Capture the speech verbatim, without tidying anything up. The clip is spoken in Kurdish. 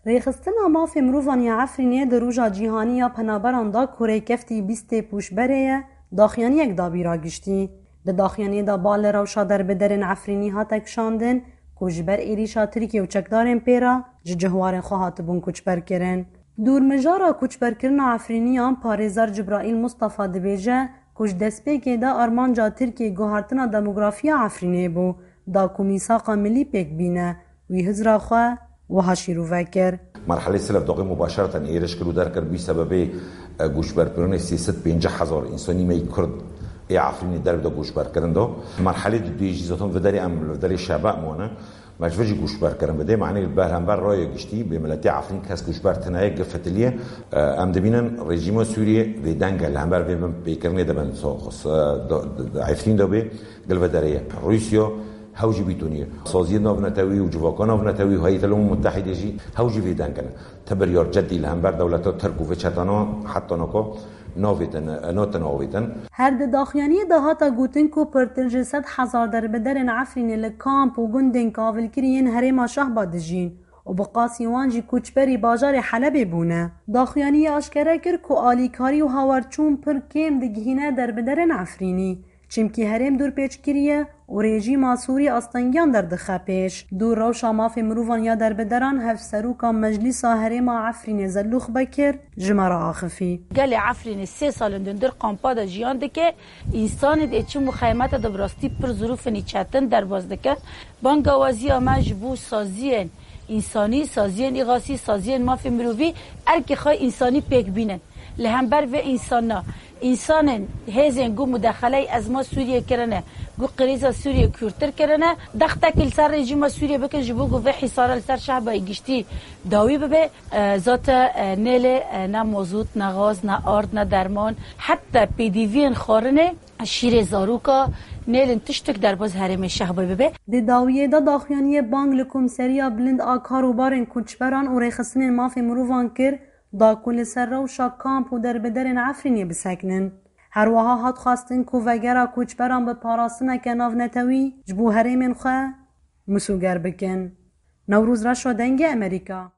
Rêxistina Mafê Mirovan ya Efrînê di Roja Cîhanî ya Penaberan de ku rêkeftî bîstê Pûşberê ye, daxuyaniyek dabî ragiştî. Di daxuyaniyê de bal li rewşa derbiderên Efrînî hate kişandin ku ji ber êrîşa Tirkiye û çekdarên pê re ji cihwarên xwe hatibûn koçberkirin. Dûrmijara koçberkirina Efrîniyan parêzer Cibraîl Mustafa dibêje ku ji destpêkê de armanca Tirkiyê guhartina demografiya Efrînê bû, da ku mîsaqa milî pêk bîne, wî hizra xwe wiha şîrove kir. Merhelê Silef daxê mubaşereten êriş kir û derkir bî sebebê, e, goçberkirinê sê sed pêncî hezar însanî me yî Kurd ê Efrînê derb de goçberkirin da. Merhelê di duyê jî zaten viderê em li viderê şebe mane. Me ji vir jî goçberkirin bidê. Manê li ber hember raya giştî bê miletê Efrîn kes goçber tine ye, gifitiliye. E, em dibînin rejîma Sûriyê vê deng e, li hember vê bin pêkirinê de bin. So-, xus-, e, da-, da-, da-, Efrîn de bê gil ve derê ye. Rûsya hew jî bîtoniye. Saziyê navnetewî û civaka navnetewî û Heyet el Umem Mutehîdê jî hew jî vê deng in. Ti biryar cedî li hember dewleta Tirk û vê çetana heta naka navêtin, natin avêtin. Her di daxuyaniyê de hate gotin ku pirtir ji sed hezar derbiderên Efrînê li kamp û gundên kavilkirî yên herêma Şehba dijîn û bi qasî wan jî koçberî bajarê Helebê bûne. Daxuyaniyê aşkere kir ku alîkarî û hawerçûn pir kêm digihîne derbiderên Efrînî. Çimkî herêm dûrpêç kiriye û rejîma Sûrî astengiyan derdixe pêş. Dûr rewşa mafê mirovan ya derbideran hevseroka Meclîsa Herêma Efrînê Zelûx Bekir ji me re axifî. Gelê Efrînê sê sal in dûndir kampa de jiyan dike. Însanê dê çi muxeyemete de bi rastî pir zirûfinî çetin derbas dike. Bangawaziya me ji bo saziyên însanî, saziyên îxasî, saziyên mafê mirovî erkê xwe însanî pêk bînin. Li hember vê însana, însanên hêzên ku mudexeley ezma Sûriyê kirine, ku krîza Sûriyê kûrtir kirine, dextekî li ser rejîma Sûriyê bikin, ji bo ku vê hîsara li ser şehbayê giştî dawî bibe. E, zate, e, nêlê, e, ne mozût, ne gaz, ne ard, ne derman, heta pêdiviyên xwarinê, şîrê zaroka, nêlin tiştek derbas herêmê şehbayê bibe. Di dawiyê de daxuyaniyê bang li Komseriya Bilind a Karûbarên Koçberan û Rêxistinên Mafê Mirovan kir, da ku li ser rewşa kamp û derbiderên Efrînê bisekinin. Her wiha hat xwestin ku vegera koçberan bi parastineke navnetewî ji bo herêmên xwe misûger bikin. Newroz Reşo, Dengê Amerîka.